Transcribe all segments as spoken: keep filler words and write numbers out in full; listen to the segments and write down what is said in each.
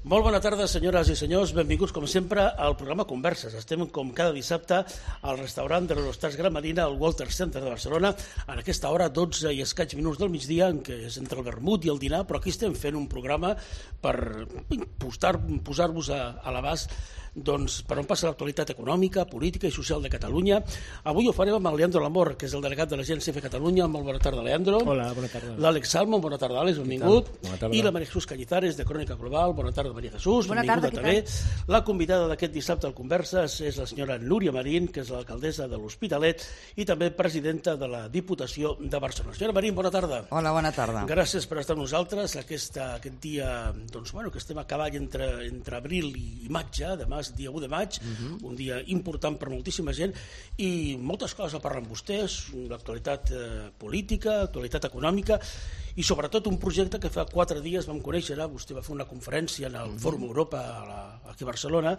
Molt bona tarda, senyores i senyors. Benvinguts, com sempre, al programa Converses. Estem, com cada dissabte, al restaurant de l'Hostats Granadina, al Walter Center de Barcelona, en aquesta hora, dotze i escaig minuts del migdia, en què és entre el vermut i el dinar, però aquí estem fent un programa per posar-vos a, a l'abast doncs, per on passa l'actualitat econòmica, política i social de Catalunya. Avui ho farem amb el Leandro Lamor, que és el delegat de l'Agència F Catalunya. Molt bona tarda, Leandro. Hola, bona tarda. L'Àlex Salmon, bona tarda, Àlex, benvingut. Bona tarda. I la María Jesús Cañizares, de Crònica Global. Bona tarda, María Jesús. Bona benvinguda tarda, també. La convidada d'aquest dissabte al Converses és la senyora Núria Marín, que és l'alcaldessa de l'Hospitalet i també presidenta de la Diputació de Barcelona. Senyora Marín, bona tarda. Hola, bona tarda. Gràcies per estar amb nosaltres aquesta, aquest dia, doncs, bueno, que estem a cavall entre, entre abril i maig, ja, demà és dia u de maig, uh-huh. un dia important per moltíssima gent i moltes coses a parlar amb vostès, l'actualitat eh, política, l'actualitat econòmica i sobretot un projecte que fa quatre dies vam conèixer, vostè va fer una conferència en el uh-huh. Fòrum Europa a la, aquí a Barcelona,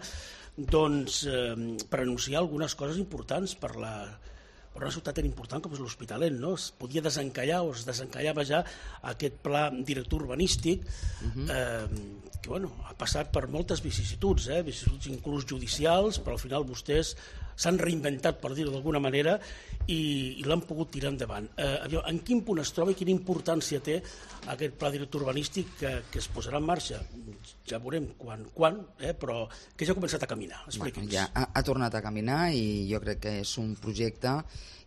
doncs eh, per anunciar algunes coses importants per la per una ciutat tan important com és l'Hospitalet, no? Es podia desencallar o es desencallava ja aquest pla director urbanístic uh-huh. eh, que bueno, ha passat per moltes vicissituds, eh? vicissituds inclús judicials, però al final vostès s'han reinventat, per dir-ho d'alguna manera, i, i l'han pogut tirar endavant. Eh, en quin punt es troba i quina importància té aquest pla director urbanístic que, que es posarà en marxa? Ja veurem quan, quan eh? però que ja ha començat a caminar. Bueno, ja ha, ha tornat a caminar i jo crec que és un projecte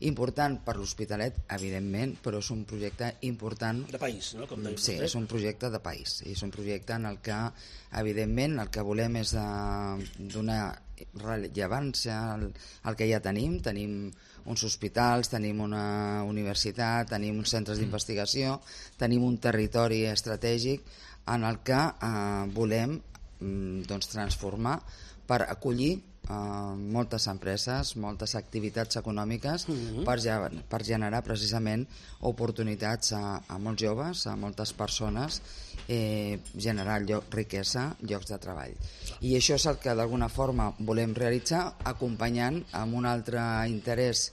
important per l'Hospitalet, evidentment, però és un projecte important... De país, no? Com sí, és un projecte de país. És un projecte en el que, evidentment, el que volem és donar rellevància al, al que ja tenim. Tenim uns hospitals, tenim una universitat, tenim uns centres d'investigació, tenim un territori estratègic en el que eh, volem doncs, transformar per acollir Uh, moltes empreses, moltes activitats econòmiques uh-huh. per, ja, per generar precisament oportunitats a, a molts joves, a moltes persones, eh, generar lloc, riquesa, llocs de treball. I això és el que d'alguna forma volem realitzar, acompanyant amb un altre interès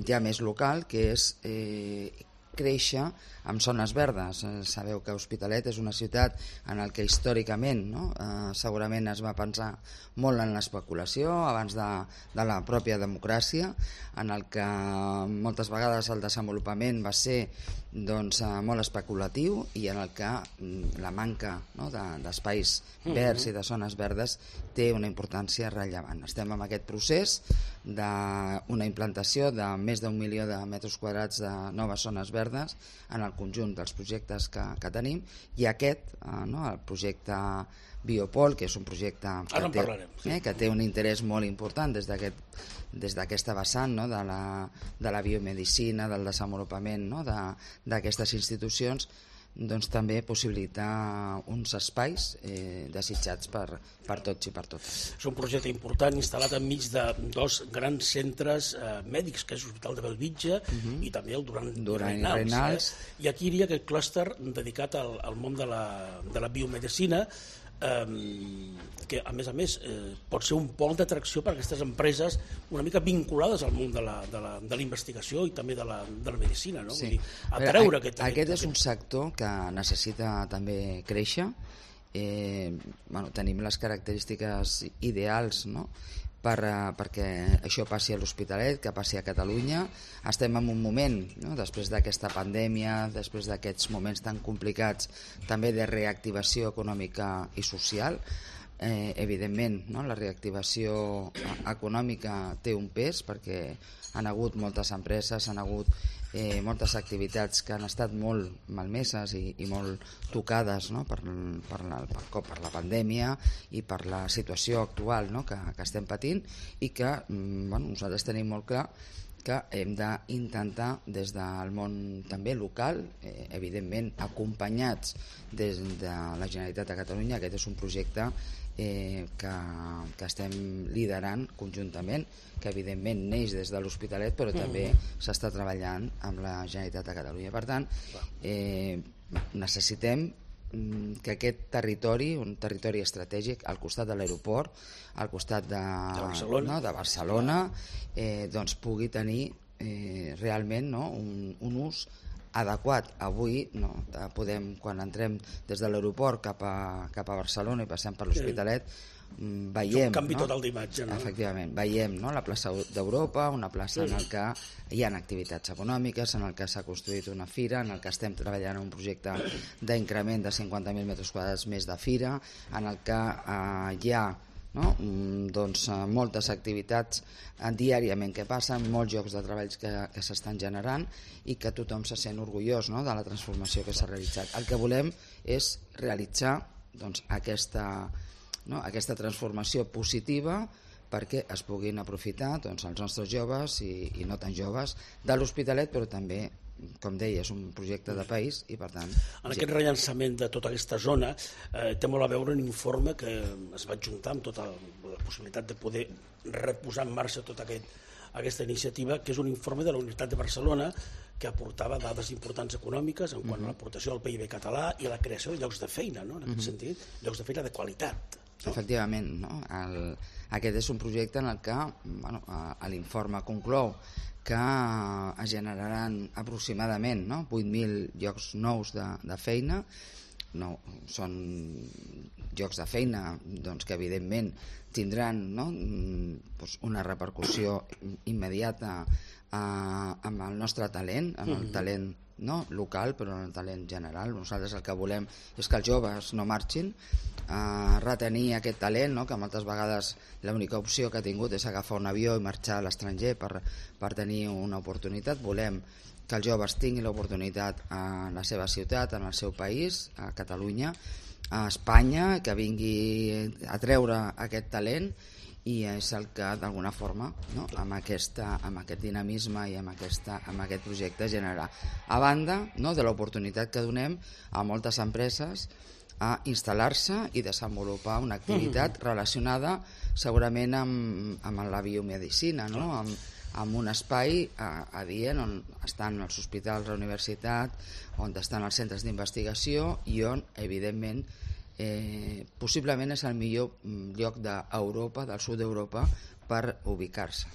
ja més local, que és eh, créixer amb zones verdes. Sabeu que Hospitalet és una ciutat en la que històricament no? eh, segurament es va pensar molt en l'especulació abans de, de la pròpia democràcia, en el que moltes vegades el desenvolupament va ser doncs, eh, molt especulatiu i en el que la manca no? de, d'espais verds i de zones verdes té una importància rellevant. Estem en aquest procés d'una implantació de més d'un milió de metres quadrats de noves zones verdes en el conjunt dels projectes que, que tenim i aquest, eh, no? el projecte Biopol, que és un projecte que, té, sí. eh, que té un interès molt important des d'aquest des d'aquesta vessant no? de, la, de la biomedicina, del desenvolupament no? d'aquestes institucions, doncs també possibilitar uns espais eh, desitjats per, per tots i per totes. És un projecte important instal·lat enmig de dos grans centres eh, mèdics, que és l'Hospital de Bellvitge uh-huh. i també el Duran, Duran i Reynals. Reynals. Eh? I aquí hi havia aquest clúster dedicat al, al món de la, de la biomedicina, Um, que a més a més eh, pot ser un pol d'atracció per a aquestes empreses una mica vinculades al món de la, de la, de la investigació i també de la, de la medicina, no? Sí. Vull dir, atreure aquest, aquest, aquest aquest és un sector que necessita també créixer. Eh, bueno, tenim les característiques ideals no? per, uh, perquè això passi a l'Hospitalet, que passi a Catalunya. Estem en un moment, no? després d'aquesta pandèmia, després d'aquests moments tan complicats, també de reactivació econòmica i social. Eh, evidentment, no? la reactivació econòmica té un pes perquè han hagut moltes empreses, han hagut eh, moltes activitats que han estat molt malmeses i, i molt tocades no? per, per, la, per, per la pandèmia i per la situació actual no? que, que estem patint i que bueno, nosaltres tenim molt clar que hem d'intentar des del món també local, eh, evidentment acompanyats des de la Generalitat de Catalunya. Aquest és un projecte eh, que, que estem liderant conjuntament, que evidentment neix des de l'Hospitalet, però també s'està treballant amb la Generalitat de Catalunya. Per tant, eh, necessitem que aquest territori, un territori estratègic al costat de l'aeroport, al costat de, de Barcelona, no, de Barcelona eh, doncs pugui tenir eh, realment no, un, un ús adequat. Avui no, podem, quan entrem des de l'aeroport cap a, cap a Barcelona i passem per l'Hospitalet, veiem... Un canvi no? total d'imatge, no? Efectivament, veiem no? la plaça d'Europa, una plaça en què hi ha activitats econòmiques, en el que s'ha construït una fira, en el que estem treballant en un projecte d'increment de cinquanta mil metres quadrats més de fira, en el que eh, hi ha no? doncs, moltes activitats diàriament que passen, molts llocs de treball que, que s'estan generant i que tothom se sent orgullós no? de la transformació que s'ha realitzat. El que volem és realitzar doncs, aquesta, no? aquesta transformació positiva perquè es puguin aprofitar doncs, els nostres joves i, i no tan joves de l'Hospitalet, però també, com deia, és un projecte de país i per tant... En aquest rellançament de tota aquesta zona eh, té molt a veure un informe que es va juntar amb tota la possibilitat de poder reposar en marxa tota aquest, aquesta iniciativa, que és un informe de la Universitat de Barcelona que aportava dades importants econòmiques en quant uh-huh. a l'aportació al P I B català i a la creació de llocs de feina, no? en aquest uh-huh. sentit, llocs de feina de qualitat. No? Efectivament, no? El, aquest és un projecte en el que bueno, l'informe conclou que es generaran aproximadament no? vuit mil llocs nous de, de feina. No, són llocs de feina doncs, que evidentment tindran no? doncs una repercussió immediata eh, amb el nostre talent, amb el talent no local, però en el talent general. Nosaltres el que volem és que els joves no marxin, eh, retenir aquest talent, no? que moltes vegades l'única opció que ha tingut és agafar un avió i marxar a l'estranger per, per tenir una oportunitat. Volem que els joves tinguin l'oportunitat a la seva ciutat, en el seu país, a Catalunya, a Espanya, que vingui a treure aquest talent, i és el que d'alguna forma no? amb, aquesta, amb aquest dinamisme i amb, aquesta, amb aquest projecte generarà, a banda no? de l'oportunitat que donem a moltes empreses a instal·lar-se i desenvolupar una activitat mm-hmm. relacionada segurament amb, amb la biomedicina, no? amb, amb un espai adient on estan els hospitals, la universitat, on estan els centres d'investigació i on evidentment Eh, possiblement és el millor lloc d'Europa, del sud d'Europa, per ubicar-se.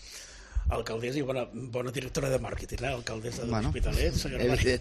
Alcaldessa i bona, bona directora de màrqueting, eh? Alcaldessa de bueno, l'Hospitalet, senyora Maria.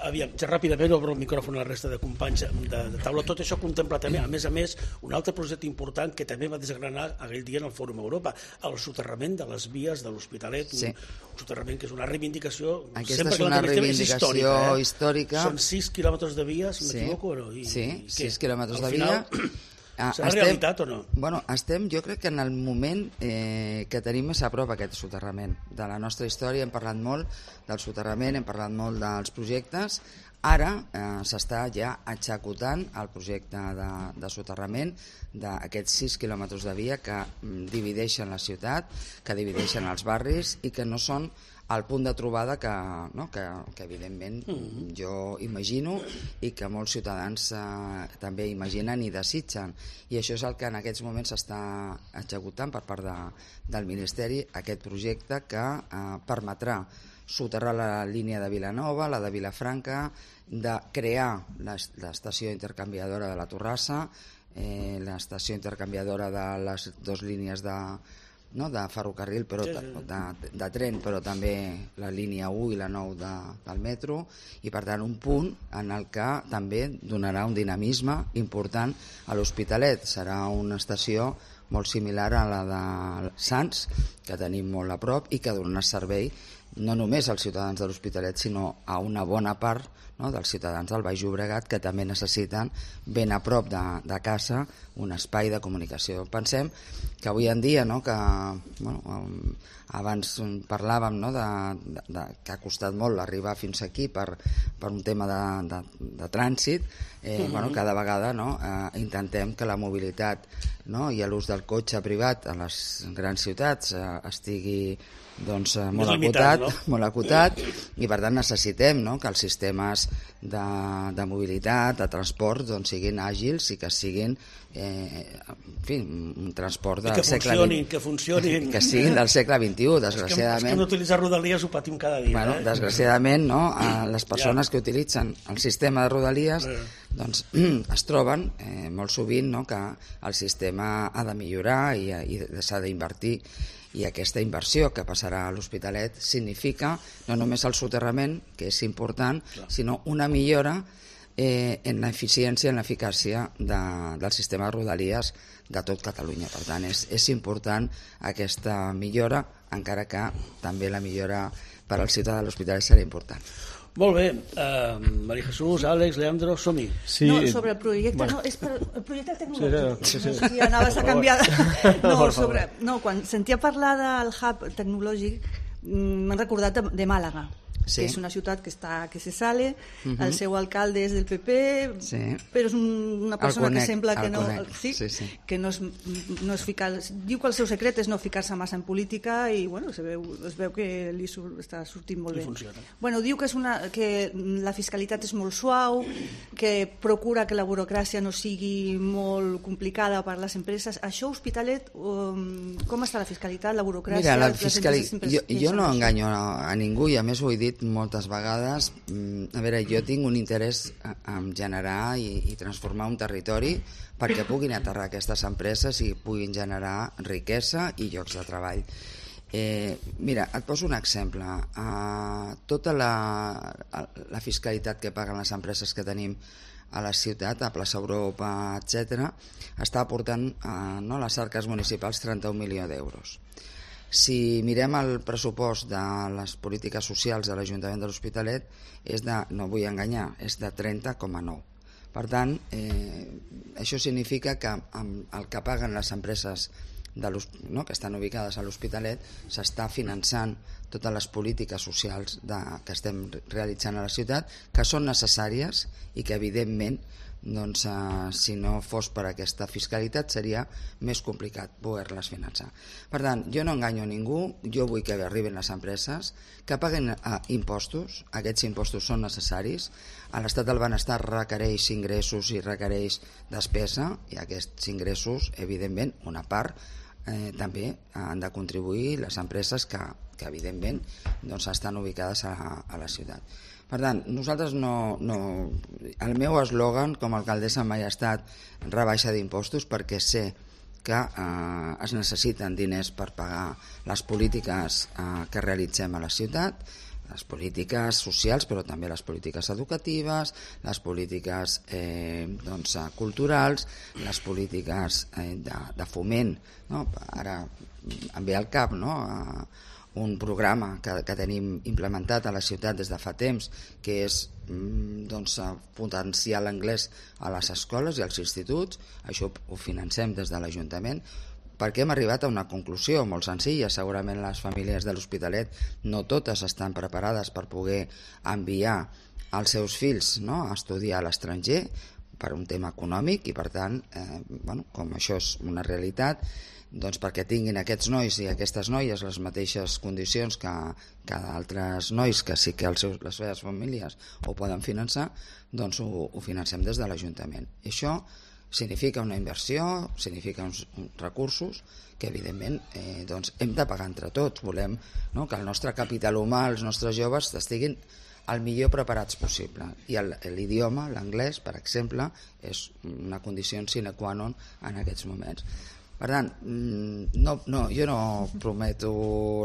Aviam, ja ràpidament obro el micròfon a la resta de companys de, de taula. Tot això contempla també, a més a més, un altre projecte important que també va desgranar aquell dia en el Fòrum Europa, el soterrament de les vies de l'Hospitalet, sí. un, un soterrament que és una reivindicació... Aquesta sempre és una reivindicació és històrica, eh? històrica. Són sis quilòmetres de via, si sí. m'equivoco, no? I, sí, i sis quilòmetres de final... via... Ah, serà estem, realitat o no? Bueno, estem, jo crec que en el moment eh, que tenim més a prop aquest soterrament. De la nostra història hem parlat molt del soterrament, hem parlat molt dels projectes. Ara eh, s'està ja executant el projecte de, de soterrament d'aquests sis quilòmetres de via que mm, divideixen la ciutat, que divideixen els barris i que no són el punt de trobada que, no, que, que evidentment mm-hmm. jo imagino i que molts ciutadans eh, també imaginen i desitgen, i això és el que en aquests moments s'està executant per part de, del Ministeri, aquest projecte que eh, permetrà soterrar la línia de Vilanova, la de Vilafranca, de crear l'estació intercanviadora de la Torrassa, eh, l'estació intercanviadora de les dues línies de no, de ferrocarril, però de, de, de tren, però també la línia u i la nou de, del metro, i per tant un punt en el que també donarà un dinamisme important a l'Hospitalet. Serà una estació molt similar a la de Sants, que tenim molt a prop i que donarà servei no només als ciutadans de l'Hospitalet, sinó a una bona part no, dels ciutadans del Baix Llobregat que també necessiten ben a prop de, de casa un espai de comunicació. Pensem que avui en dia, no, que bueno, abans parlàvem no, de, de, de, que ha costat molt arribar fins aquí per, per un tema de, de, de trànsit, eh, mm-hmm. bueno, cada vegada no, eh, intentem que la mobilitat no, i l'ús del cotxe privat a les grans ciutats eh, estigui doncs, molt, limitat, acotat, no? molt acotat i per tant necessitem no, que els sistemes de, de mobilitat, de transport doncs, siguin àgils i que siguin eh, en fi, un transport del que segle funcionin, vint... que funcionin que siguin del segle vint-i-u, desgraciadament. És que, és que d'utilitzar Rodalies ho patim cada dia. Bueno, eh? Desgraciadament, no, les persones ja. que utilitzen el sistema de Rodalies eh. doncs, es troben eh, molt sovint no, que el sistema ha de millorar i, i s'ha d'invertir. I aquesta inversió que passarà a l'Hospitalet significa no només el soterrament, que és important, clar, sinó una millora eh, en l'eficiència, en l'eficàcia de, del sistema de rodalies de tot Catalunya. Per tant, és, és important aquesta millora, encara que també la millora per al ciutadà de l'Hospitalet serà important. Molt bé, uh, María Jesús, Àlex, Leandro, som-hi. Sí. No, sobre el projecte, bueno. no, és per el projecte tecnològic. Sí, sí, sí. No sé si anaves a canviar. No, sobre, no, quan sentia parlar del hub tecnològic, m'han recordat de, de Màlaga. Sí. Que és una ciutat que està que se sale, uh-huh. El seu alcalde és del P P, sí. Però és un, una persona conec, que sembla que no, sí, sí, sí. que no és, no és ficar, diu que el seu secret és no ficar-se massa en política i bueno, se veu, es veu que li sur, està sortint molt bé. Bueno, diu que, és una, que la fiscalitat és molt suau, que procura que la burocràcia no sigui molt complicada per a les empreses. Això, Hospitalet, um, com està la fiscalitat, la burocràcia? Mira, la fiscali... jo, jo no enganyo a, a ningú i a més ho he dit moltes vegades. A veure, jo tinc un interès en generar i, i transformar un territori perquè puguin aterrar aquestes empreses i puguin generar riquesa i llocs de treball. Eh, mira, et poso un exemple. Uh, tota la, la fiscalitat que paguen les empreses que tenim a la ciutat, a Plaça Europa, etcètera, està aportant uh, no, a les arques municipals trenta-un milions d'euros. Si mirem el pressupost de les polítiques socials de l'Ajuntament de l'Hospitalet, és de, no vull enganyar, és de trenta coma nou. Per tant, eh, això significa que amb el que paguen les empreses de no, que estan ubicades a l'Hospitalet s'està finançant totes les polítiques socials de, que estem realitzant a la ciutat, que són necessàries i que evidentment doncs, eh, si no fos per aquesta fiscalitat seria més complicat poder-les finançar. Per tant, jo no enganyo a ningú, jo vull que arribin les empreses, que paguen eh, impostos, aquests impostos són necessaris, a l'estat del benestar requereix ingressos i requereix despesa, i aquests ingressos, evidentment, una part eh, també han de contribuir les empreses que, que evidentment, doncs, estan ubicades a, a la ciutat. Per tant, nosaltres no, no... El meu eslògan com a alcaldessa mai ha estat rebaixa d'impostos perquè sé que eh, es necessiten diners per pagar les polítiques eh, que realitzem a la ciutat, les polítiques socials, però també les polítiques educatives, les polítiques eh, doncs, culturals, les polítiques eh, de, de foment. No? Ara em ve al cap, no?, a, un programa que, que tenim implementat a la ciutat des de fa temps, que és doncs, potenciar l'anglès a les escoles i als instituts. Això ho financem des de l'Ajuntament, perquè hem arribat a una conclusió molt senzilla. Segurament les famílies de l'Hospitalet no totes estan preparades per poder enviar els seus fills, no?, a estudiar a l'estranger per un tema econòmic i per tant, eh, bueno, com això és una realitat, doncs perquè tinguin aquests nois i aquestes noies les mateixes condicions que, que altres nois que sí que els seus, les seves famílies ho poden finançar, doncs ho, ho financem des de l'Ajuntament. I això significa una inversió, significa uns, uns recursos que evidentment eh, doncs hem de pagar entre tots. Volem, no?, que el nostre capital humà, els nostres joves estiguin el millor preparats possible. I l'idioma, l'anglès, per exemple, és una condició sine qua non en aquests moments. Per tant, no, no, jo no prometo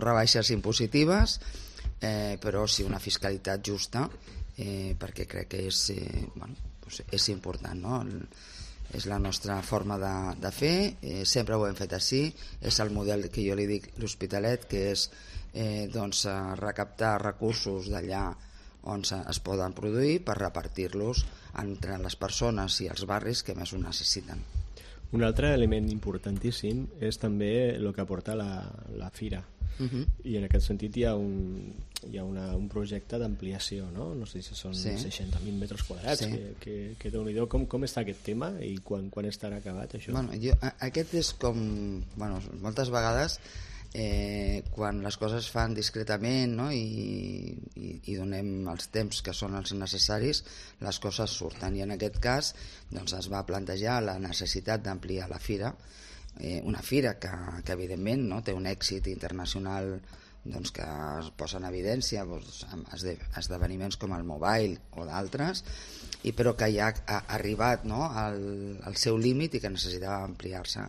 rebaixes impositives, eh, però sí una fiscalitat justa, eh, perquè crec que és, eh, bueno, doncs és important, no? És la nostra forma de, de fer, eh, sempre ho hem fet així, és el model que jo li dic l'Hospitalet, que és eh, doncs, recaptar recursos d'allà on es poden produir per repartir-los entre les persones i els barris que més ho necessiten. Un altre element importantíssim és també el que aporta la, la fira. Uh-huh. I en aquest sentit hi ha un, hi ha una, un projecte d'ampliació, no? No sé si són sí. seixanta mil metres quadrats, sí. que, que, que déu-n'hi-do. Com, com està aquest tema i quan, quan estarà acabat això? Bueno, jo, aquest és com... Bueno, moltes vegades eh, quan les coses es fan discretament, no?, i, i, i donem els temps que són els necessaris, les coses surten. I en aquest cas doncs, es va plantejar la necessitat d'ampliar la fira, eh, una fira que, que evidentment no, té un èxit internacional doncs, que es posa en evidència doncs, amb esdeveniments com el Mobile o d'altres, i però que ja ha arribat no, al, al seu límit i que necessitava ampliar-se.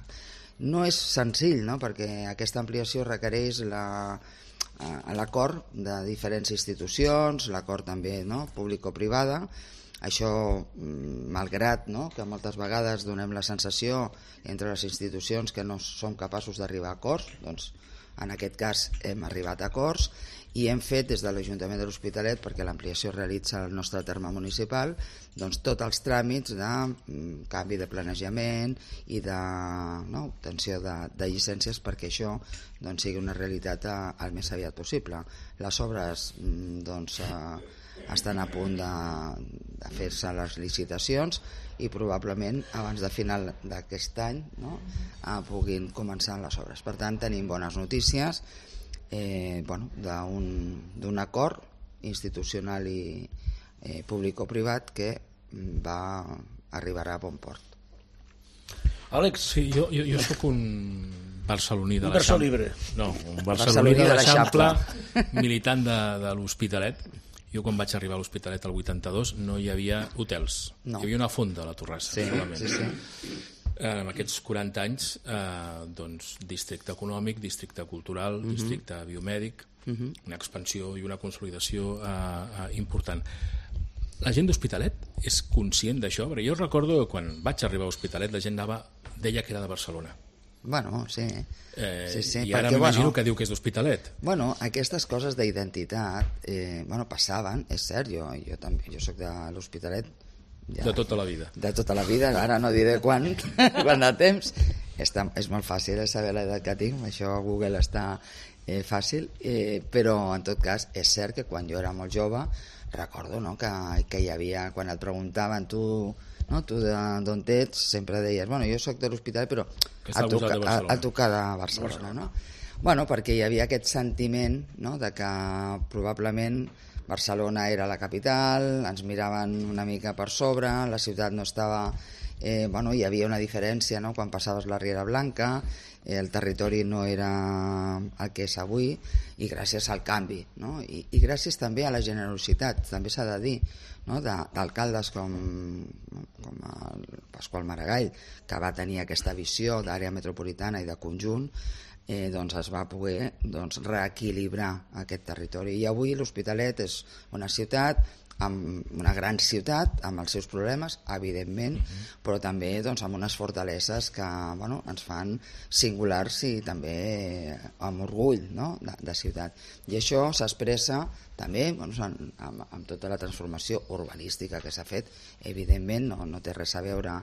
no és senzill, no? Perquè aquesta ampliació requereix la, l'acord de diferents institucions, l'acord també, no? Público-privada. Això, malgrat, no? Que moltes vegades donem la sensació entre les institucions que no som capaços d'arribar a acords, doncs en aquest cas hem arribat a acords i hem fet des de l'Ajuntament de l'Hospitalet, perquè l'ampliació realitza el nostre terme municipal, doncs tots els tràmits de canvi de planejament i de, no, obtenció de, de llicències perquè això doncs, sigui una realitat a, al més aviat possible. Les obres doncs, estan a punt de, de fer-se les licitacions i probablement abans de final d'aquest any, no, puguin començar les obres. Per tant, tenim bones notícies eh, bueno, d'un acord institucional i eh, público-privat que va arribarà a bon port. Àlex? Sí, jo, jo, jo sóc un barceloní de un l'Eixample. libre. No, un barceloní de l'Eixample, militant de, de l'Hospitalet. Jo quan vaig arribar a l'Hospitalet al vuitanta-dos no hi havia hotels, no. Hi havia una fonda a la Torrassa, sí, solament. Sí, sí. En aquests quaranta anys, eh, doncs, districte econòmic, districte cultural, uh-huh. districte biomèdic, uh-huh. una expansió i una consolidació eh, eh, important. La gent d'Hospitalet és conscient d'això? Perquè jo recordo que quan vaig arribar a Hospitalet la gent anava, deia que era de Barcelona. Bueno, sí. Eh, sí, sí I ara perquè, m'imagino bueno, que diu que és d'Hospitalet. Bueno, aquestes coses d'identitat eh, bueno, passaven, és cert, jo, jo també, jo soc de l'Hospitalet ja, de tota la vida. De tota la vida, ara no diré quan, quan de temps. Està, és molt fàcil saber l'edat que tinc, això a Google està eh, fàcil, eh, però en tot cas és cert que quan jo era molt jove recordo, no, que, que hi havia, quan et preguntaven tu, no, tu d'on ets, sempre deies, bueno, jo soc de l'Hospitalet, però a tocar, a, a tocar de Barcelona, no? Bueno, perquè hi havia aquest sentiment, no, de que probablement Barcelona era la capital, ens miraven una mica per sobre, la ciutat no estava... Eh, bueno, hi havia una diferència, no?, quan passaves la Riera Blanca, eh, el territori no era el que és avui, i gràcies al canvi, no?, I, i gràcies també a la generositat, també s'ha de dir, no?, d'alcaldes com, com el Pasqual Maragall, que va tenir aquesta visió d'àrea metropolitana i de conjunt, eh, doncs es va poder doncs, reequilibrar aquest territori. I avui l'Hospitalet és una ciutat, amb una gran ciutat, amb els seus problemes, evidentment, uh-huh. però també doncs, amb unes fortaleses que bueno, ens fan singulars i també amb orgull, no?, de, de ciutat. I això s'expressa també bueno, amb, amb, amb tota la transformació urbanística que s'ha fet, evidentment, no, no té res a veure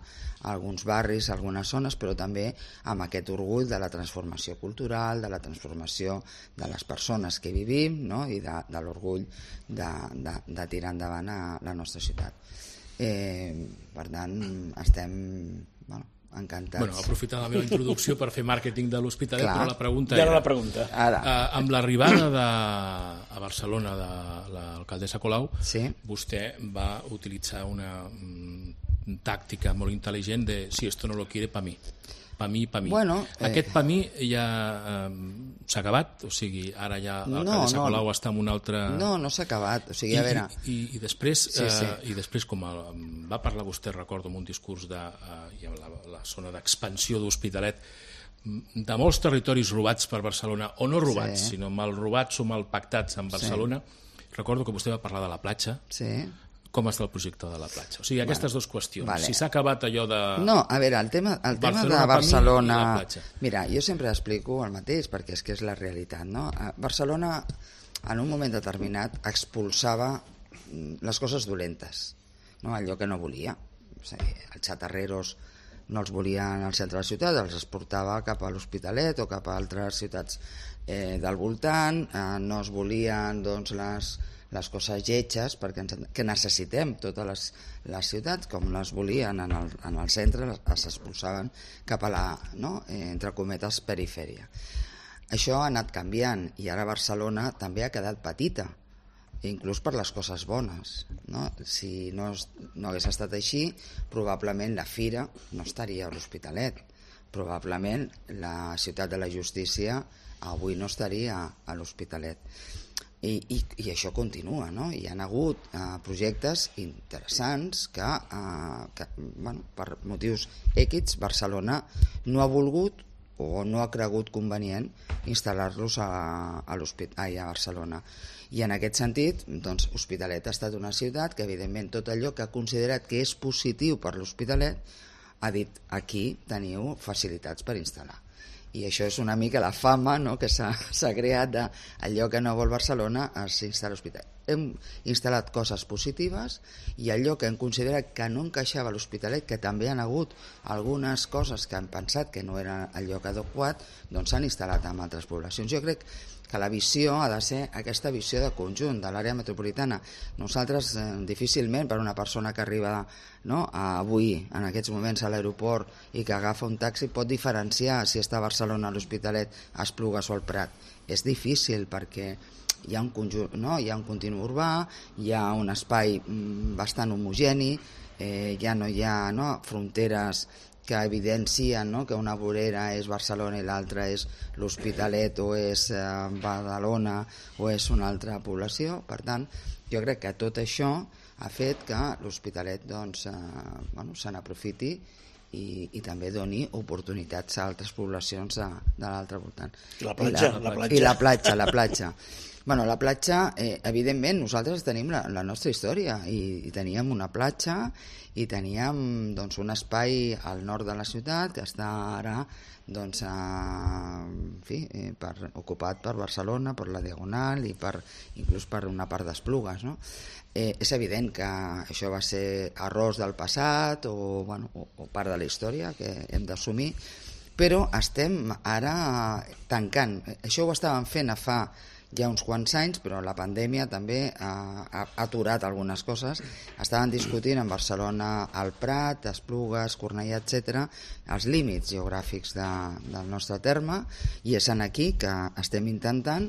alguns barris, algunes zones, però també amb aquest orgull de la transformació cultural, de la transformació de les persones que vivim, no?, i de, de l'orgull de, de, de tirar endavant a la nostra ciutat. Eh, per tant, estem bueno, encantats. Bueno, aprofitar la meva introducció per fer màrqueting de l'Hospitalet, Clar. però la pregunta Ja era... la pregunta. Ara. Eh, amb l'arribada de, a Barcelona de l'alcaldessa Colau, sí. vostè va utilitzar una mm, tàctica molt intel·ligent de si esto no lo quiere, pa mi. Pa mi, pa mi. Bueno, eh... Aquest pa mi ja eh, s'ha acabat? O sigui, ara ja l'alcaldessa no, no. Colau està en un altre... No, no s'ha acabat. O sigui, I, a veure... I, i, i, després, sí, sí. Eh, i després, com el, va parlar vostè, recordo, en un discurs de eh, la, la zona d'expansió d'Hospitalet, de molts territoris robats per Barcelona, o no robats, sí. sinó mal robats o mal pactats amb Barcelona. Sí. Recordo que vostè va parlar de la platja. Sí. Com està el projecte de la platja? O sigui, aquestes bueno, dues qüestions. Vale. Si s'ha acabat allò de... No, a veure, el tema, el tema Barcelona, de Barcelona... Mira, jo sempre explico el mateix, perquè és que és la realitat, no? Barcelona, en un moment determinat, expulsava les coses dolentes, no? Allò que no volia. O sigui, els xatarreros no els volien al centre de la ciutat, els exportava cap a l'Hospitalet o cap a altres ciutats eh, del voltant, eh, no es volien, doncs, les... les coses lletges perquè ens, que necessitem totes les, les ciutats, com les volien en el, en el centre, les expulsaven cap a la, no?, eh, entre cometes, perifèria. Això ha anat canviant i ara Barcelona també ha quedat petita, inclús per les coses bones, no? Si no, no hagués estat així, probablement la fira no estaria a l'Hospitalet, probablement la ciutat de la justícia avui no estaria a l'Hospitalet. I, i, i això continua, no? Hi ha hagut eh, projectes interessants que, eh, que bueno, per motius èquids Barcelona no ha volgut o no ha cregut convenient instal·lar-los a, a, a Barcelona. I en aquest sentit, doncs, Hospitalet ha estat una ciutat que, evidentment, tot allò que ha considerat que és positiu per l'Hospitalet ha dit, aquí teniu facilitats per instal·lar. I això és una mica la fama, no?, que s'ha creat d'allò que no vol Barcelona s'instal·la a l'Hospitalet. Hem instal·lat coses positives i allò que hem considerat que no encaixava a l'Hospitalet, que també han hagut algunes coses que han pensat que no era el lloc adequat, doncs s'han instal·lat en altres poblacions. Jo crec que la visió ha de ser aquesta visió de conjunt de l'àrea metropolitana. Nosaltres, eh, difícilment, per una persona que arriba, no, a avui, en aquests moments, a l'aeroport i que agafa un taxi, pot diferenciar si està a Barcelona, a l'Hospitalet, a Esplugues o al Prat. És difícil perquè hi ha un conjunt, no? Hi ha un continu urbà, hi ha un espai mm, bastant homogeni, eh, ja no hi ha, no, fronteres que evidencien, no?, que una vorera és Barcelona i l'altra és l'Hospitalet o és eh, Badalona o és una altra població. Per tant, jo crec que tot això ha fet que l'Hospitalet doncs, eh, bueno, se n'aprofiti i, i també doni oportunitats a altres poblacions de, de l'altre voltant. I la platja. I la, la platja. I la platja, la platja. Bueno, la platja, eh, evidentment, nosaltres tenim la, la nostra història i, i teníem una platja i teníem doncs, un espai al nord de la ciutat que està ara doncs, a, en fi, eh, per, ocupat per Barcelona, per la Diagonal i per, inclús per una part d'Esplugues, no? Eh, és evident que això va ser errors del passat o, bueno, o, o part de la història que hem d'assumir, però estem ara tancant. Això ho estàvem fent a fa ja uns quants anys, però la pandèmia també ha, ha aturat algunes coses. Estaven discutint en Barcelona el Prat, Esplugues, Cornellà, etcètera, els límits geogràfics de, del nostre terme, i és en aquí que estem intentant,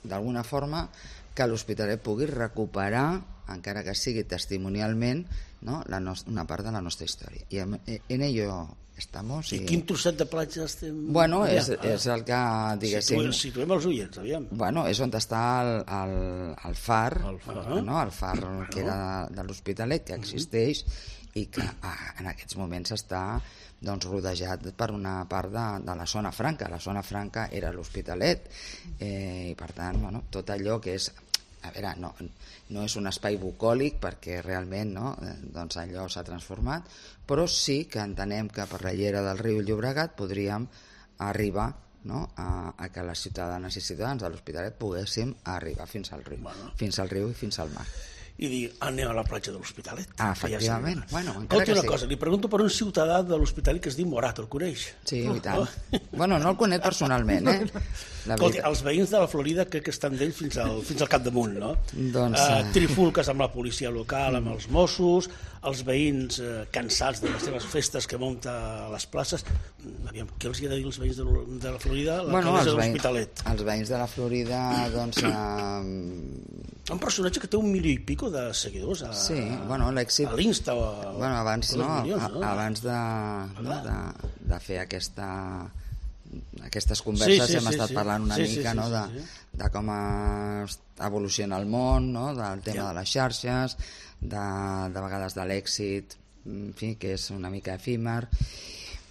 d'alguna forma, que l'Hospitalet pugui recuperar, encara que sigui testimonialment, no?, la no, una part de la nostra història. I en, en ello estamos. I, I quin trosset de platja estem... Bueno, és, és el que, diguéssim... Situem, situem els oients, aviam. Bueno, és on està el, el, el far, el far, no? El far que era de, de l'Hospitalet, que existeix i que ah, en aquests moments està doncs, rodejat per una part de, de la zona franca. La zona franca era l'Hospitalet eh, i, per tant, bueno, tot allò que és... A veure, no, no és un espai bucòlic perquè realment, no, doncs allò s'ha transformat, però sí que entenem que per la llera del riu Llobregat podríem arribar, no, a, a que les ciutadanes i ciutadans de l'Hospitalet poguéssim arribar fins al riu, bueno. fins al riu i fins al mar. I dir, anem a la platja de l'Hospitalet. Ah, efectivament. Ja bueno, Escolta una sí. cosa, li pregunto per un ciutadà de l'Hospitalet que es diu Morat, el coneix? Sí, i tant. Oh. Bueno, no el conec personalment, eh? Escolta, els veïns de la Florida crec que estan d'ell fins al, fins al capdamunt, no? Doncs... Uh, trifulques amb la policia local, amb els Mossos, els veïns uh, cansats de les seves festes que munta a les places. Aviam, què els hi ha de dir els veïns de, de la Florida? La bueno, els de l'Hospitalet. Els veïns de la Florida, doncs... Uh... Un personatge que té un milió i pico de seguidors a, sí, bueno, l'èxit... a l'Insta. Bueno, abans, no, milions, no? abans de, no, de, de fer aquesta, aquestes converses sí, sí, hem sí, estat sí. parlant una sí, mica sí, sí, no, de, sí, sí. de com evoluciona el món, no, del tema ja. de les xarxes, de, de vegades de l'èxit, en fi, que és una mica efímer.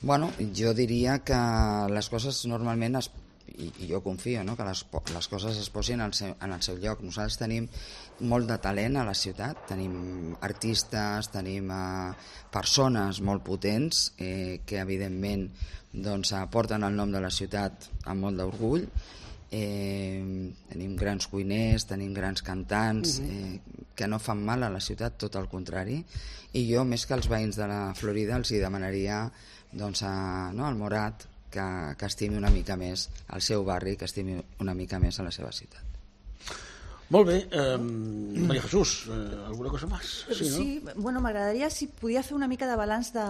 Bueno, jo diria que les coses normalment es I, i jo confio, no?, que les, les coses es posin en el, seu, en el seu lloc. Nosaltres tenim molt de talent a la ciutat, tenim artistes, tenim eh, persones molt potents eh, que evidentment doncs, porten el nom de la ciutat amb molt d'orgull. Eh, tenim grans cuiners, tenim grans cantants eh, que no fan mal a la ciutat, tot el contrari, i jo més que als veïns de la Florida els hi demanaria doncs, a, no, al Morat que, que estimi una mica més el seu barri, que estimi una mica més a la seva ciutat. Molt bé, eh, Maria Jesús, eh, alguna cosa més? Sí, no? Sí, bueno, m'agradaria si podia fer una mica de balanç de,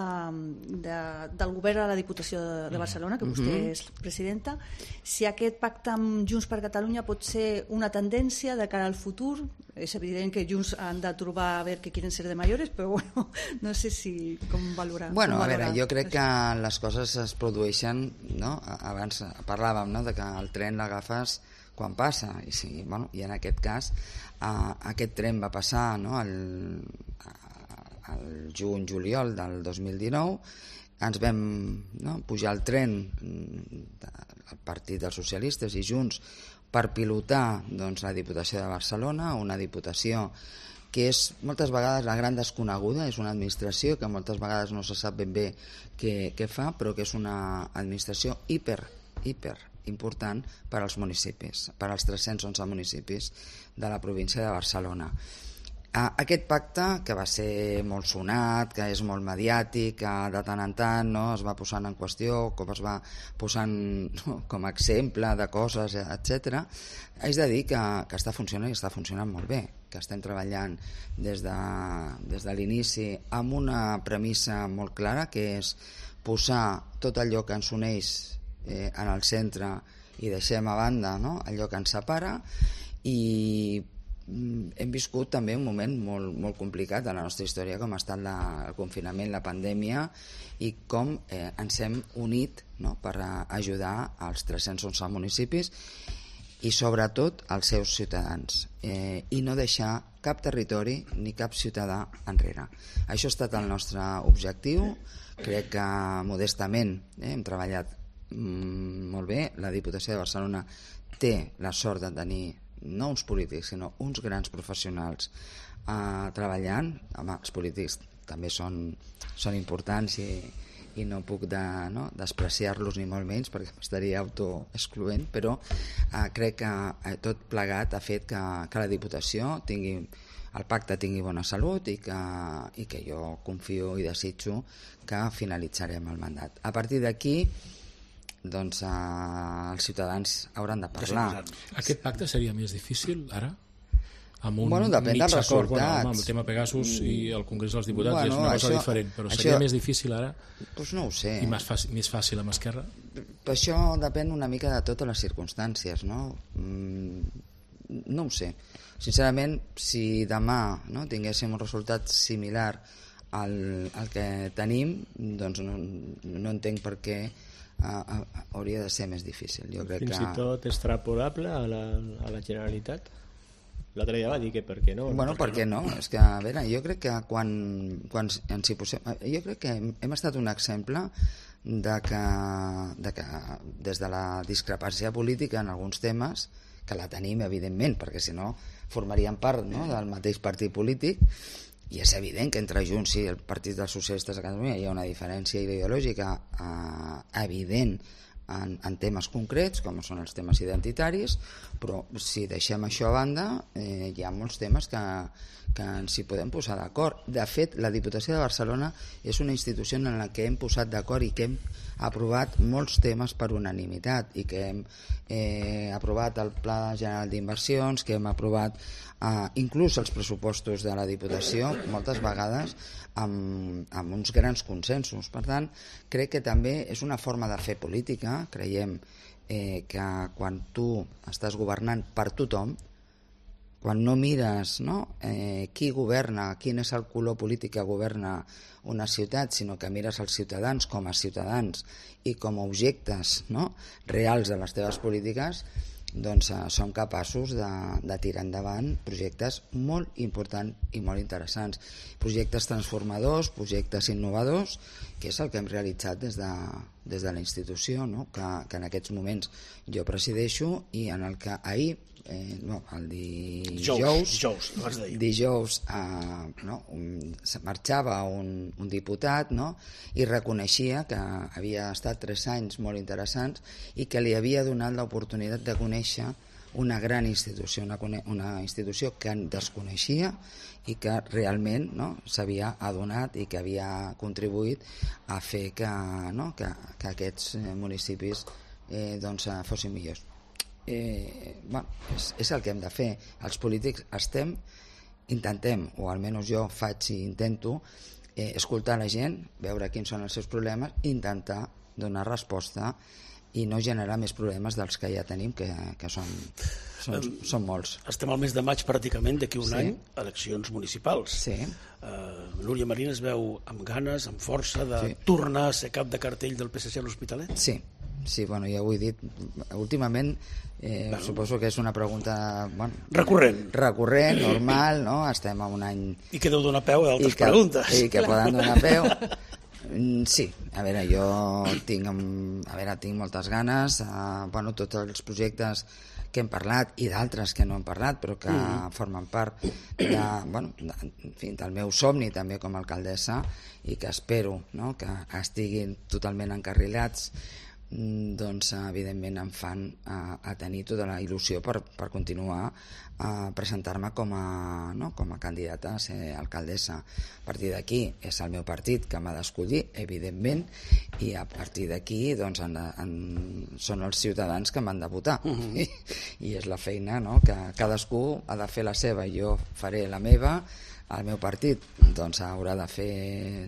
de, del govern a la Diputació de, de Barcelona, que vostè uh-huh. és presidenta, si aquest pacte amb Junts per Catalunya pot ser una tendència de cara al futur. És evident que Junts han de trobar a veure què quieren ser de mayores, però bueno, no sé si com valorar. Bueno, com a valorar. veure, jo crec que les coses es produeixen, no? Abans parlàvem, no?, de que el tren l'agafes quan passa, i, sí, bueno, i en aquest cas uh, aquest tren va passar, no?, el, el juny-juliol del dos mil dinou, ens vam no, pujar al tren del Partit dels Socialistes i Junts per pilotar doncs, la Diputació de Barcelona, una diputació que és moltes vegades la gran desconeguda, és una administració que moltes vegades no se sap ben bé què, què fa, però que és una administració hiper, hiper important per als municipis, per als tres-cents onze municipis de la província de Barcelona. Aquest pacte, que va ser molt sonat, que és molt mediàtic, que de tant en tant no, es va posant en qüestió, com es va posant no, com a exemple de coses, etcètera, haig de dir que, que està funcionant i està funcionant molt bé, que estem treballant des de, des de l'inici amb una premissa molt clara, que és posar tot allò que ens uneix eh, en el centre i deixem a banda no, allò que ens separa, i hem viscut també un moment molt, molt complicat de la nostra història, com ha estat la, el confinament, la pandèmia, i com eh, ens hem unit no, per ajudar als tres-cents onze municipis i sobretot als seus ciutadans, eh, i no deixar cap territori ni cap ciutadà enrere. Això ha estat el nostre objectiu. Crec que modestament eh, hem treballat mm, molt bé. La Diputació de Barcelona té la sort de tenir no uns polítics, sinó uns grans professionals eh, treballant. Home, els polítics també són, són importants i, i no puc de, no, despreciar-los ni molt menys perquè estaria autoexcloent, però eh, crec que eh, tot plegat ha fet que, que la Diputació tingui, el pacte tingui bona salut i que, i que jo confio i desitjo que finalitzarem el mandat. A partir d'aquí doncs eh, els ciutadans hauran de parlar. Aquest pacte seria més difícil ara? Amb un bueno, depèn dels resultats. Bueno, amb el tema Pegasus i el Congrés dels Diputats bueno, és una cosa això, diferent, però seria això, més difícil ara? Doncs no ho sé. I més fàcil, més fàcil amb Esquerra? Això depèn una mica de totes les circumstàncies, no? Mm, no ho sé. Sincerament, si demà no, tinguéssim un resultat similar al, al que tenim, doncs no, no entenc per què Uh, uh, hauria de ser més difícil. Jo crec Fins que... i tot extrapolable a la, a la Generalitat? L'altre dia va dir que per què no? Bueno, per què no? no? És que, a veure, jo crec que quan, quan ens hi posem... Jo crec que hem, hem estat un exemple de que, de que des de la discrepància política en alguns temes, que la tenim, evidentment, perquè si no formaríem part no, del mateix partit polític, i és evident que entre Junts i el Partit dels Socialistes de Catalunya hi ha una diferència ideològica eh, evident en, en temes concrets, com són els temes identitaris, però si deixem això a banda, eh, hi ha molts temes que, que ens hi podem posar d'acord. De fet, la Diputació de Barcelona és una institució en la que hem posat d'acord i que hem aprovat molts temes per unanimitat i que hem eh, aprovat el Pla General d'Inversions, que hem aprovat Uh, inclús els pressupostos de la Diputació moltes vegades amb, amb uns grans consensos. Per tant, crec que també és una forma de fer política. Creiem eh, que quan tu estàs governant per tothom, quan no mires no, eh, qui governa, quin és el color polític que governa una ciutat, sinó que mires els ciutadans com a ciutadans i com a objectes no, reals de les teves polítiques, doncs eh, som capaços de, de tirar endavant projectes molt importants i molt interessants, projectes transformadors, projectes innovadors, que és el que hem realitzat des de, des de la institució, no? que, que en aquests moments jo presideixo i en el que ahir Eh, no, el dijous dijous, dijous eh, no, un, marxava un, un diputat no, i reconeixia que havia estat tres anys molt interessants i que li havia donat l'oportunitat de conèixer una gran institució, una, una institució que desconeixia i que realment no, s'havia adonat i que havia contribuït a fer que, no, que, que aquests municipis eh, doncs, fossin millors. Eh, bueno, és, és el que hem de fer. Els polítics estem, intentem, o almenys jo faig i intento eh, escoltar la gent, veure quins són els seus problemes, intentar donar resposta i no generar més problemes dels que ja tenim, que, que són, són, um, són molts. Estem al mes de maig pràcticament, d'aquí un sí. any, eleccions municipals. Sí. Uh, Núria Marín es veu amb ganes, amb força de sí. tornar a ser cap de cartell del P S C a l'Hospitalet? Sí. Sí, bueno, ja ho he dit. Últimament, eh, bueno. suposo que és una pregunta bueno, recurrent. Recurrent, normal, no? Estem en un any... I que deu donar peu a altres que, preguntes. I que poden donar peu. Sí, a veure, jo tinc, a veure, tinc moltes ganes, uh, bueno, tots els projectes que hem parlat i d'altres que no hem parlat però que mm. formen part de, bueno, de, en fi, del meu somni també com a alcaldessa i que espero, no?, que estiguin totalment encarrilats, doncs evidentment em fan a, a tenir tota la il·lusió per, per continuar a presentar-me com a, no, com a candidata a ser alcaldessa. A partir d'aquí és el meu partit que m'ha d'escollir, evidentment, i a partir d'aquí doncs, en, en, són els ciutadans que m'han de votar. Uh-huh. I, i és la feina, no?, que cadascú ha de fer la seva, jo faré la meva, el meu partit doncs haurà de fer,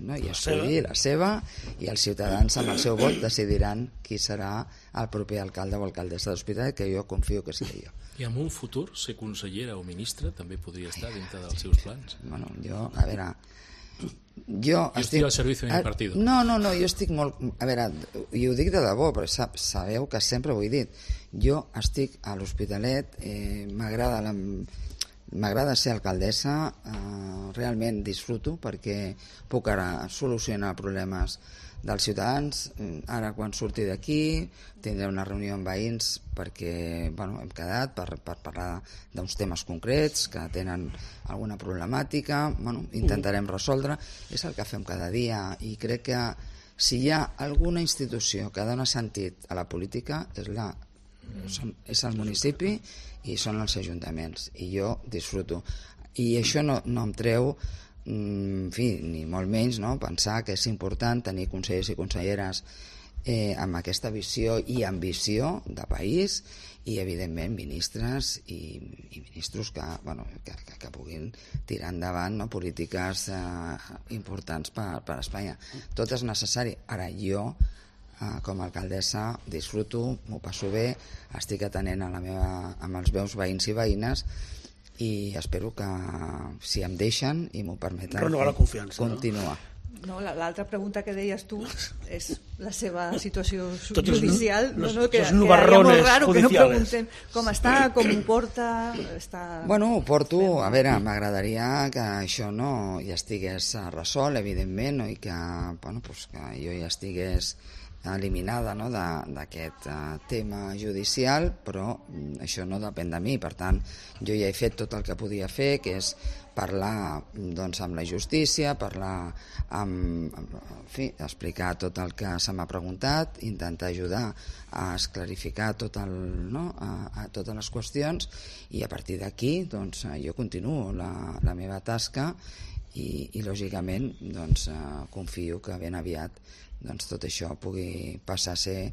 no?, i escollir la seva, i els ciutadans amb el seu vot decidiran qui serà el proper alcalde o alcaldessa de l'Hospitalet, que jo confio que sigui jo. I en un futur ser consellera o ministra també podria estar dintre dels seus plans? Bueno, jo, a veure, jo, jo estic al servei de mi partit. No, no, no, jo estic molt, a veure, i ho dic de debò, però sabeu que sempre ho he dit, jo estic a l'Hospitalet, eh, m'agrada la M'agrada ser alcaldessa, eh, realment disfruto perquè puc ara solucionar problemes dels ciutadans. Ara quan surti d'aquí tindré una reunió amb veïns perquè bueno, hem quedat per, per parlar d'uns temes concrets que tenen alguna problemàtica, bueno, intentarem resoldre, és el que fem cada dia i crec que si hi ha alguna institució que dona sentit a la política és la és el municipi i són els ajuntaments i jo disfruto i això no, no em treu en fi, ni molt menys, no?, pensar que és important tenir consellers i conselleres eh, amb aquesta visió i ambició de país i evidentment ministres i, i ministros que, bueno, que, que, que puguin tirar endavant, no?, polítiques eh, importants per, per Espanya. Tot és necessari. Ara jo Uh, com a alcaldessa disfruto, m'ho passo bé, estic atenent a la meva, amb els meus veïns i veïnes i espero que si em deixen i m'ho permeten renovar la confiança, continuar. No, l'altra pregunta que deies tu és la seva situació judicial, los, no, no, que, los que era molt raro que no judiciales. preguntem com està, com ho porta... Està... Bueno, ho porto, a veure, m'agradaria que això no ja estigués resolt, evidentment, no? I que, bueno, pues, que jo ja estigués eliminada, no?, d'aquest uh, tema judicial, però mm, això no depèn de mi, per tant jo ja he fet tot el que podia fer, que és parlar doncs, amb la justícia, parlar amb, amb en fi, explicar tot el que se m'ha preguntat, intentar ajudar a esclarificar tot el, no?, a, a totes les qüestions i a partir d'aquí doncs, jo continuo la, la meva tasca i, i lògicament doncs, uh, confio que ben aviat doncs tot això pugui passar a ser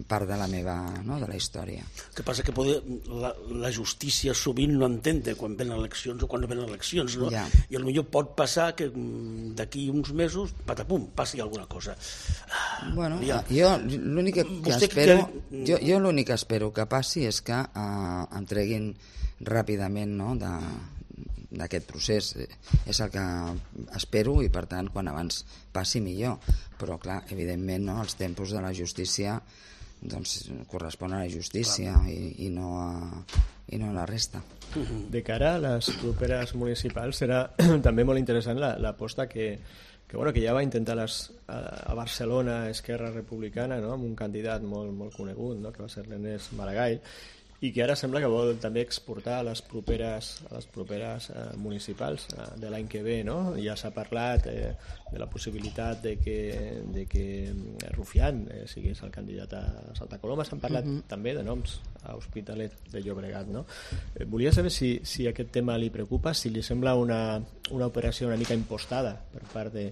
part de la meva, no?, de la història. El que passa que poder, la, la justícia sovint no entén quan venen eleccions o quan no venen eleccions, no? Ja. I potser pot passar que d'aquí uns mesos, patapum, passi alguna cosa. Bueno, ja. jo l'únic que, que espero que... jo, jo l'únic que espero que passi és que eh, em treguin ràpidament, no?, de d'aquest procés, és el que espero i per tant quan abans passi millor, però clar, evidentment no, els tempos de la justícia doncs corresponen a la justícia i, i, no a, i no a la resta. De cara a les properes municipals serà també molt interessant l'aposta que, que, bueno, que ja va intentar les, a, a Barcelona Esquerra Republicana, no?, amb un candidat molt, molt conegut, no?, que va ser l'Ernest Maragall, i que ara sembla que vol també exportar a les properes, a les properes eh, municipals eh, de l'any que ve, no? Ja s'ha parlat eh, de la possibilitat de que, de que Rufián eh, sigués el candidat a Santa Coloma. S'han parlat uh-huh. també de noms a Hospitalet de Llobregat, no? Eh, volia saber si, si aquest tema li preocupa, si li sembla una, una operació una mica impostada per part de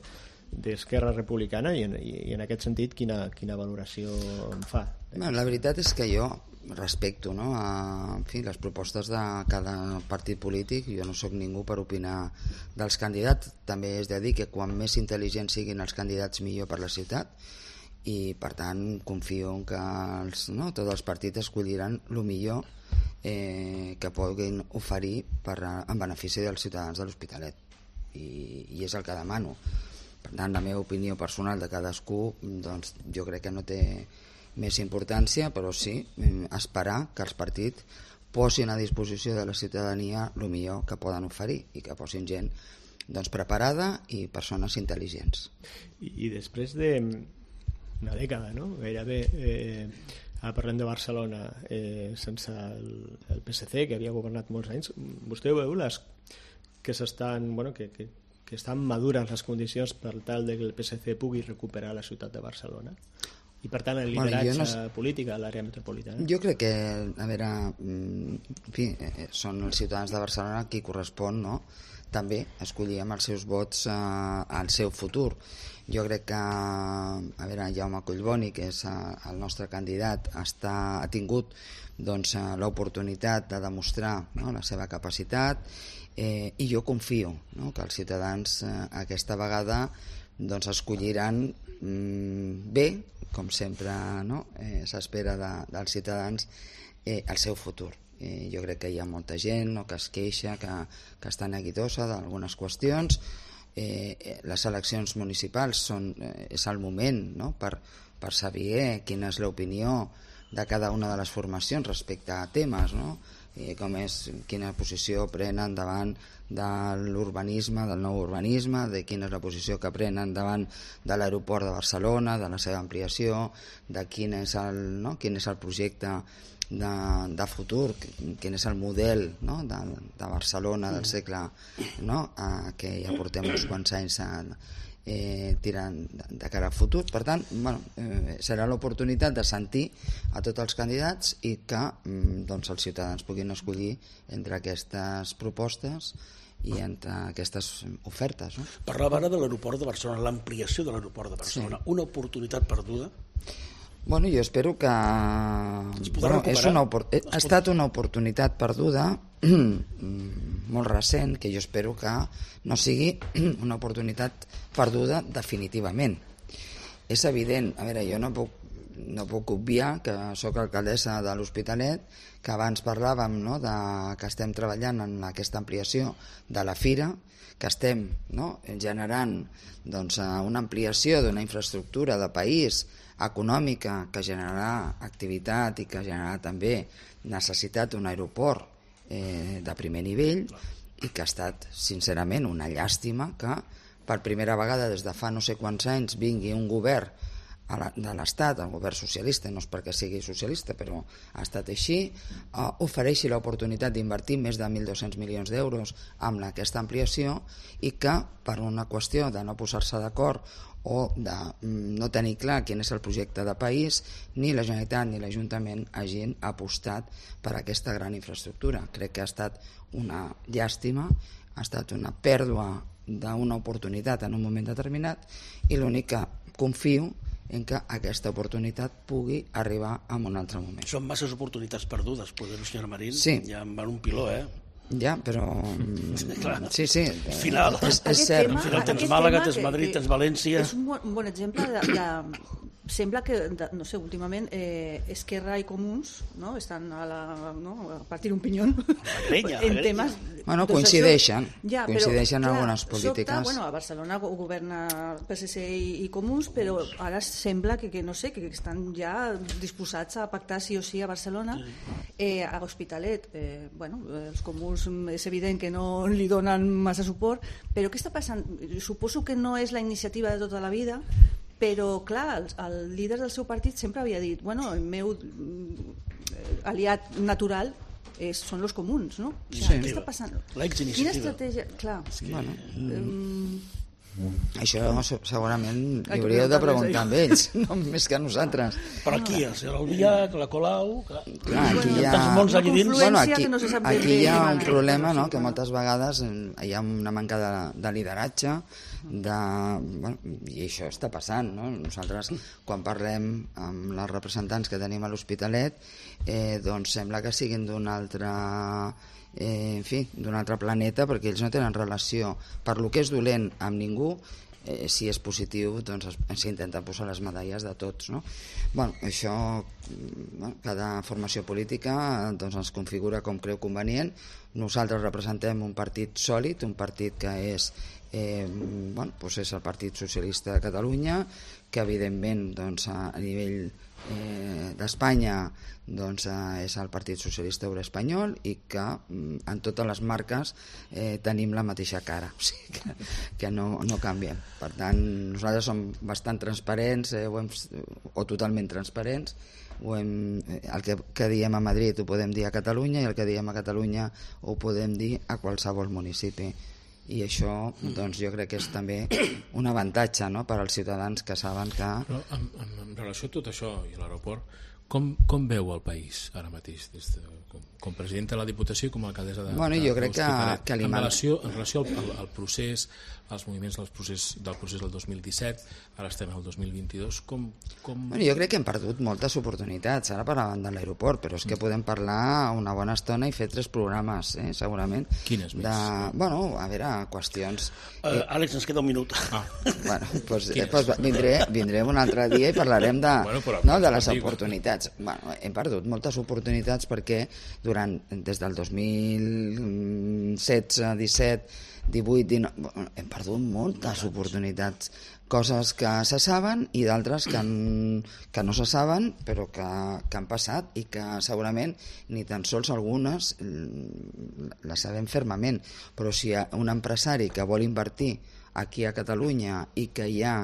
d'Esquerra Republicana i en, i en aquest sentit quina, quina valoració en fa? Bueno, la veritat és que jo respecto, no, a, en fi, les propostes de cada partit polític. Jo no sóc ningú per opinar dels candidats. També és de dir que quan més intel·ligents siguin els candidats millor per la ciutat i per tant confio en que els, no, tots els partits escolliran el millor eh, que puguin oferir per, en benefici dels ciutadans de l'Hospitalet i, i és el que demano. Per tant, la meva opinió personal de cadascú doncs, jo crec que no té més importància, però sí esperar que els partits posin a disposició de la ciutadania el millor que poden oferir i que posin gent doncs, preparada i persones intel·ligents. I, i després d'una dècada, no? Gairebé, eh, ara parlem de Barcelona, eh, sense el, el P S C, que havia governat molts anys, vostè veu les que s'estan, bueno, que, que, que estan madures les condicions per tal que el P S C pugui recuperar la ciutat de Barcelona? I per tant el lideratge bueno, no... polític a l'àrea metropolitana? Jo crec que, a veure, en fi, són els ciutadans de Barcelona qui correspon, no?, també escollir amb els seus vots eh, el seu futur. Jo crec que, a veure, Jaume Collboni, que és el nostre candidat, està, ha tingut doncs, l'oportunitat de demostrar, no?, la seva capacitat, eh, i jo confio, no?, que els ciutadans eh, aquesta vegada doncs, escolliran mm, bé, com sempre, no?, eh, s'espera de, dels ciutadans, eh, el seu futur. Eh, jo crec que hi ha molta gent, no?, que es queixa, que, que està neguitosa d'algunes qüestions. Eh, les eleccions municipals són, eh, és el moment, no?, per, per saber quina és l'opinió de cada una de les formacions respecte a temes, no?, eh, com és quina posició prenen davant de l'urbanisme, del nou urbanisme, de quina és la posició que prenen davant de l'aeroport de Barcelona, de la seva ampliació, de quin és el, no?, quin és el projecte de, de futur, quin és el model, no?, de, de Barcelona del segle, no?, eh, que ja portem uns quants anys a, eh, tirant de, de cara al futur. Per tant, bueno, eh, serà l'oportunitat de sentir a tots els candidats i que mm, doncs, els ciutadans puguin escollir entre aquestes propostes i entre aquestes ofertes, no? Parlava ara de l'aeroport de Barcelona, l'ampliació de l'aeroport de Barcelona, sí. Una oportunitat perduda? Bueno, jo espero que... Bueno, és una opor... ha estat una oportunitat perduda molt recent, que jo espero que no sigui una oportunitat perduda definitivament. És evident, a veure, jo no puc, no puc obviar que sóc alcaldessa de l'Hospitalet, que abans parlàvem, no?, de que estem treballant en aquesta ampliació de la fira, que estem, no?, generant doncs, una ampliació d'una infraestructura de país econòmica que generarà activitat i que generarà també necessitat d'un aeroport eh, de primer nivell, i que ha estat, sincerament, una llàstima que per primera vegada des de fa no sé quants anys vingui un govern a la, de l'Estat, el govern socialista, no és perquè sigui socialista, però ha estat així, eh, ofereixi l'oportunitat d'invertir més de mil dos-cents milions d'euros amb aquesta ampliació, i que per una qüestió de no posar-se d'acord o de no tenir clar quin és el projecte de país, ni la Generalitat ni l'Ajuntament hagin apostat per aquesta gran infraestructura. Crec que ha estat una llàstima, ha estat una pèrdua d'una oportunitat en un moment determinat, i l'únic que confio en que aquesta oportunitat pugui arribar en un altre moment. Són masses oportunitats perdudes, poder-ho, senyora Marín, sí. Ja en van un piló, eh? Ja, però... Sí, sí. Final. És, és cert. Al final tens Màlaga, tens Madrid, tens València... És un bon, un bon exemple de, de... Sembla que, de, no sé, últimament eh, Esquerra i Comuns, no?, estan a, la, no?, a partir un pinyón grenya, en temes... Bueno, coincideixen, ja, coincideixen en algunes polítiques. Sobta, bueno, a Barcelona governa P S C i, i Comuns, però ara sembla que, que no sé, que estan ja disposats a pactar sí o sí a Barcelona. Eh, a l'Hospitalet, eh, bueno, els Comuns és evident que no li donen massa suport, però què està passant? Suposo que no és la iniciativa de tota la vida, però clar, el, el líder del seu partit sempre havia dit, bueno, el meu aliat natural és, són els comuns, no? O sigui, sí. Què està passant? L'exiniciativa. Quina estratègia? Clar. Que... Bueno, um... Això segurament li hauríeu de preguntar amb ells, no més que a nosaltres. Però aquí, el senyor Albiach, la Colau... Clar, clar aquí hi ha... Molts allà dins. Bueno, aquí, aquí hi ha un problema, no?, que moltes vegades hi ha una manca de, de lideratge, de, bueno, i això està passant, no? Nosaltres, quan parlem amb els representants que tenim a l'Hospitalet, eh, doncs sembla que siguin d'un altre... Eh, en fi, d'un altre planeta, perquè ells no tenen relació per lo que és dolent amb ningú. Eh, si és positiu, doncs s'intenten posar les medalles de tots, no? Bueno, això, bueno, cada formació política doncs, es configura com creu convenient. nosaltres representem un partit sòlid, un partit que és, eh, bueno, doncs és el Partit Socialista de Catalunya, que evidentment doncs, a nivell eh, d'Espanya doncs, eh, és el Partit Socialista Obrer Espanyol i que mm, en totes les marques eh, tenim la mateixa cara, o sigui que, que no, no canviem. Per tant, nosaltres som bastant transparents eh, o, hem, o totalment transparents. Ho hem, el que, que diem a Madrid ho podem dir a Catalunya i el que diem a Catalunya ho podem dir a qualsevol municipi. I això doncs, jo crec que és també un avantatge, no?, per als ciutadans que saben que... Però en, en, en relació a tot això i a l'aeroport, com, com veu el país ara mateix, des de, com, com presidenta de la Diputació i com a alcaldessa de, bueno, jo crec que, que en relació, en relació al, al, al procés, als moviments del procés, del procés del dos mil disset, ara estem al dos mil vint-i-dos, com... com... Bueno, jo crec que hem perdut moltes oportunitats, ara parlàvem de l'aeroport, però és que podem parlar una bona estona i fer tres programes, eh, segurament. Quines més? De, bueno, a veure, qüestions... Uh, eh, Àlex, ens queda un minut. Ah. Bueno, doncs, eh, doncs vindré, vindré un altre dia i parlarem de, bueno, no, de les oportunitats. Bueno, hem perdut moltes oportunitats perquè durant, des del dos mil setze, disset, divuit, dinou, hem perdut moltes oportunitats, coses que se saben i d'altres que, que no se saben però que, que han passat i que segurament ni tan sols algunes les sabem fermament, però si hi ha un empresari que vol invertir aquí a Catalunya i que hi ha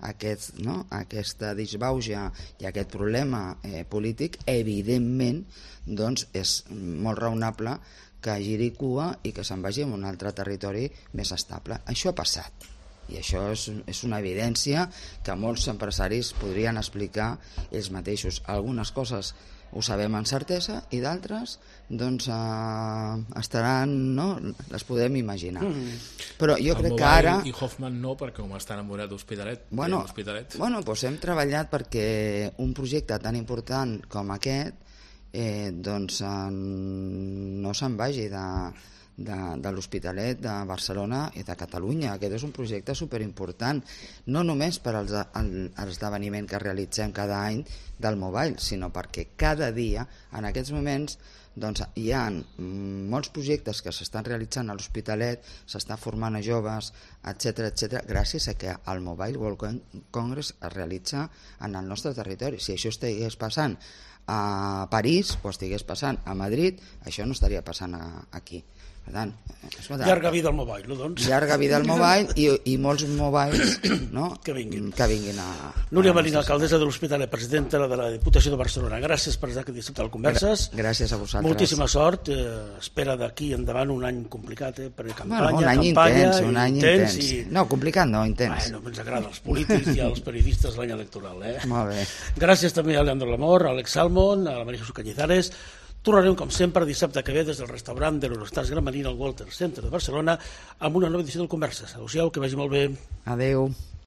aquest, no, aquesta disbauxa i aquest problema eh, polític, evidentment doncs és molt raonable que giri cua i que se'n vagi a un altre territori més estable. Això ha passat i això és, és una evidència que molts empresaris podrien explicar ells mateixos. Algunes coses ho sabem amb certesa i d'altres doncs eh, estaran, no? Les podem imaginar. Mm. Però jo el crec que ara... I Hoffman no, perquè com està enamorat d'Hospitalet, bueno, Hospitalet. Bueno, doncs hem treballat perquè un projecte tan important com aquest eh, doncs eh, no se'n vagi de, de, de l'Hospitalet, de Barcelona i de Catalunya. Aquest és un projecte superimportant, no només per als, el, l'esdeveniment que realitzem cada any del Mobile, sinó perquè cada dia, en aquests moments, doncs, hi ha molts projectes que s'estan realitzant a l'Hospitalet, s'està formant a joves, etcètera, etcètera, gràcies a que el Mobile World Congress es realitza en el nostre territori. Si això estigués passant a París o estigués passant a Madrid, això no estaria passant a, aquí. Per tant, escolta, llarga vida al Mobile, no, doncs? Llarga vida al Mobile i, i molts mobiles, no? que vinguin. Que vinguin a... Núria Marín, alcaldessa de l'Hospitalet, presidenta de la Diputació de Barcelona. Gràcies per estar aquí disfrutant converses. Gràcies a vosaltres. Moltíssima sort. Eh, espera d'aquí endavant un any complicat, eh, perquè campanya, bueno, un any campanya... Intens, un any intens, intens. I... No, complicat no, intens. Bueno, ens agrada als polítics i als periodistes l'any electoral, eh? Molt bé. Gràcies també a Leandro Lamor, a Alex Salmon, a la Maria Jesús Cañizares. Tornarem, com sempre, dissabte que ve des del restaurant de l'Eurostars Gran Marina al Walter Center de Barcelona amb una nova edició del Converses. Adéu-siau, que vagi molt bé. Adéu.